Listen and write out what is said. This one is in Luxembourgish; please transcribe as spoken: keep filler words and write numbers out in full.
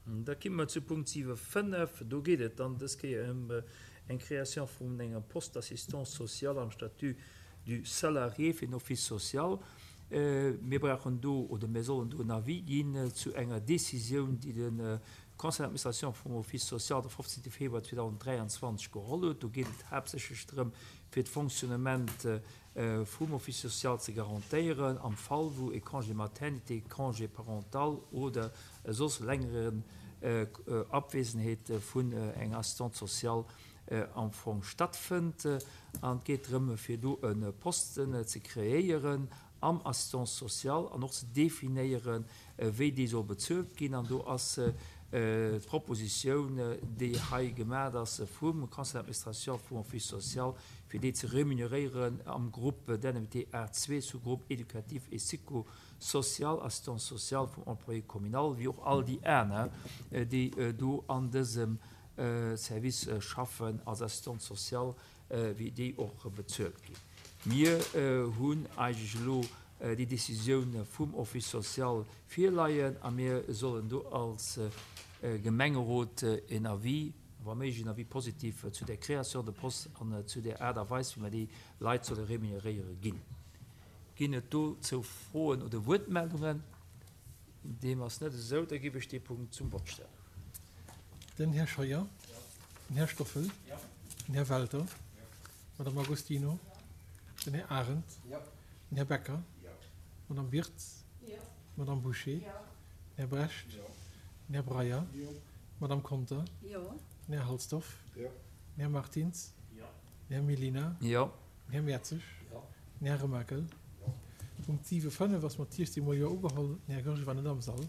Da komme mer zu Punkt siwe fënnef. Do geet et dann dës Kéier ëm eng Création vun engem Poste d'assistance sociale am Statut du salarié fir den Office social. Mir brauchen do, oder mir sollen do en Avis ginn zu enger Décisioun, déi de Conseil d'administration vum Office social de fofzéngte Februar zweedausenddräianzwanzeg geholl huet. Do geet et haaptsächlech drëm, fir d'Fonctionnement vum Office social ze garantéieren am Fall, wou e Congé maternité, Congé parental oder soss längere Abwesenheet vun enger Assistante sociale am Fong stattfënnt. An et geet drëm, fir do e Posten ze kreéieren am Assistance sociale an och ze definéieren, wéi dee soll bezuelt ginn. An do ass d'Propositioun, déi hei gemaach ass vum Conseil d'administration vum Office social, fir déi ze remuneréieren am Groupe d'indemnité A zwee, Sous-groupe éducatif et psychosocial, assistance sociale vum Employé communal, wéi och all déi aner, déi do an dësem Service schaffen als Assistante sociale, wéi déi och bezuelt ginn. Mir hunn eigentlech elo déi Décisioun vum Office social virleien a mir sollen do als Gemengerot en Avis, wa méiglech en Avis positif zu der Création de poste an zu der Aart a Weis, wéi mer déi Leit solle remuneréiere ginn. Ginn et dozou Froen oder Wuertmeldungen? Deem ass net esou, da géif ech dee Punkt zum Vott stellen. Den Här Scheuer, den Här Stoffel, den Här Welter, d'Madame Agostino, den Här Arendt, den Här Becker, d'Madame Wirtz, d'Madame Bouché, den Här Brecht, den Här Breyer, d'Madame Conter, den Här Halsdorf, den Här Martins, den Här Mellina, den Här Mertzig, den Här Remakel. Punkt siwe fënnef ass mat siechzehn mol Jo ugeholl. Den Här Goergen war net am Sall.